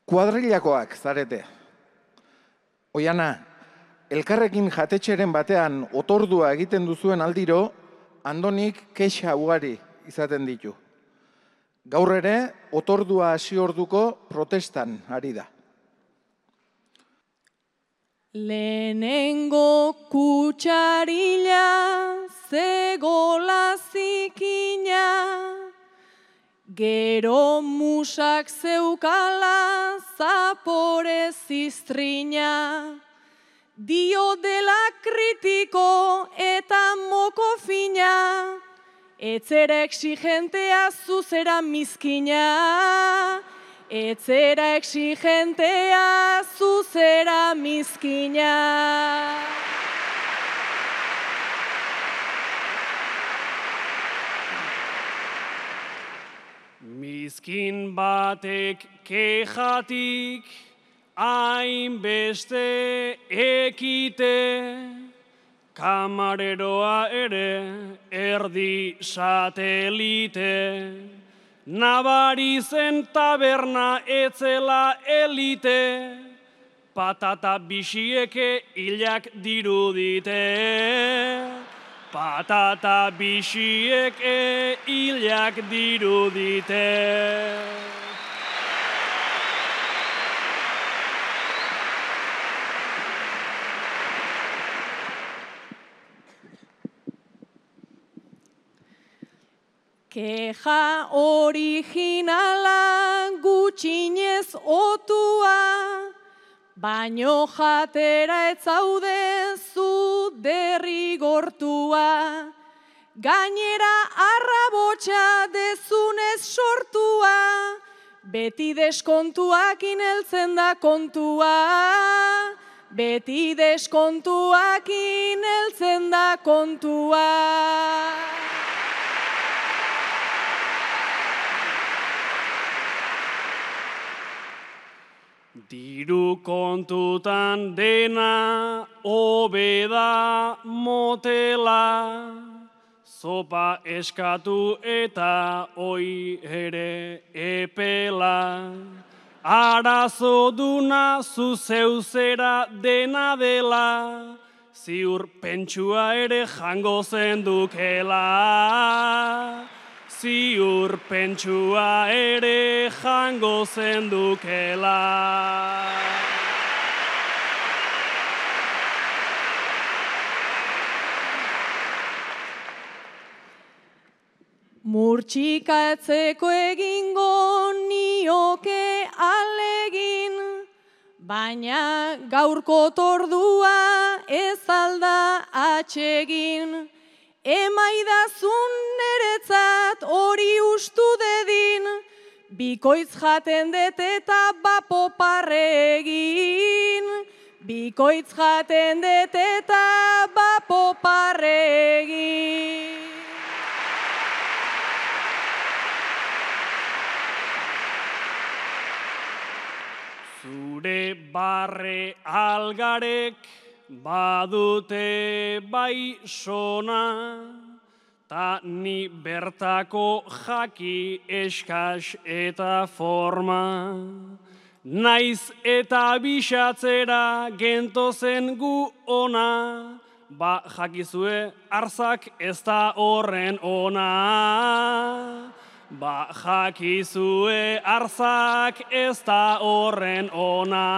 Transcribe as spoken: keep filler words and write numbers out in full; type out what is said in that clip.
Kuadrillakoak zarete. Oiana, elkarrekin jatetxeren batean otordua egiten duzuen aldiro, Andonik kexa ugari izaten ditu. Gaur ere, otordua hasi orduko protestan ari da. Lehenengo kutsarila, zegola zikina, gero musak zeukala, zapore ziztrina, dio dela kritiko eta moko fina, etzera exigentea zuzera mizkina, etzera exigentea zuzera mizkina. Mizkin batek kejatik hainbeste ekite, kamareroa ere erdi satelite, nabari zen taberna etzela elite, patata bisieke hilak dirudite, patata bisieke hilak dirudite. Keja originala gutxinez otua, baino jatera etzaude zu derrigortua. Gainera arrabotsa dezunez sortua, beti deskontuakin heltzen da kontua. Beti deskontuakin heltzen da kontua. Diru kontutan dena hobeda motela, zopa eskatu eta oi ere epela. Arazo duna zuzeuzera dena dela, ziur pentsua ere jango zendukela. Ziur pentsua ere jango zendukela. Murtxikatzeko egingo nioke alegin, baina gaurko tordua ez alda atsegin. Emaidazun neretzat hori ustu dedin, bikoitz jaten det eta bapo parregin. Bikoitz jaten det eta bapo parregin. Zure barre algarek badute bai sona, ta ni bertako jaki eskas eta forma. Naiz eta bisatzera gentozen gu ona, ba jakizue arzak ez da horren ona. Ba jakizue arzak ez da horren ona.